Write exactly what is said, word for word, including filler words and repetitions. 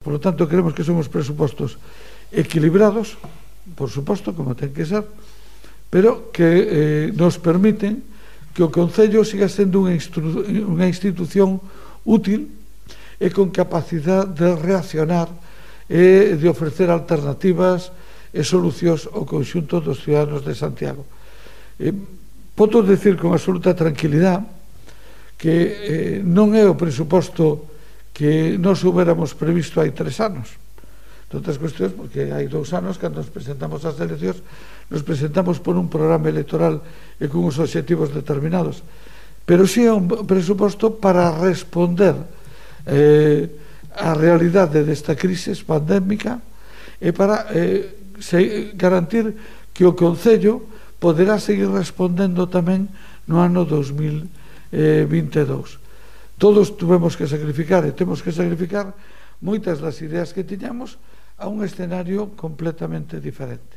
Por lo tanto, creemos que son os presupostos equilibrados, por suposto, como ten que ser, pero que eh, nos permiten que o Concello siga sendo unha, unha institución útil e con capacidade de reaccionar e de ofrecer alternativas e solucións ao conxunto dos ciudadanos de Santiago. Eh, podo decir con absoluta tranquilidade que eh, non é o presuposto que nos huberamos previsto hai tres anos. De outras cuestións, porque hai dous anos, cando nos presentamos ás eleccións, nos presentamos por un programa electoral e con uns obxectivos determinados. Pero sí é un presuposto para responder eh, á realidade desta crise pandémica e para eh, se, garantir que o Concello poderá seguir respondendo tamén no ano dos mil vinte e dous. Todos tuvemos que sacrificar e temos que sacrificar moitas das ideas que tiñamos a un escenario completamente diferente.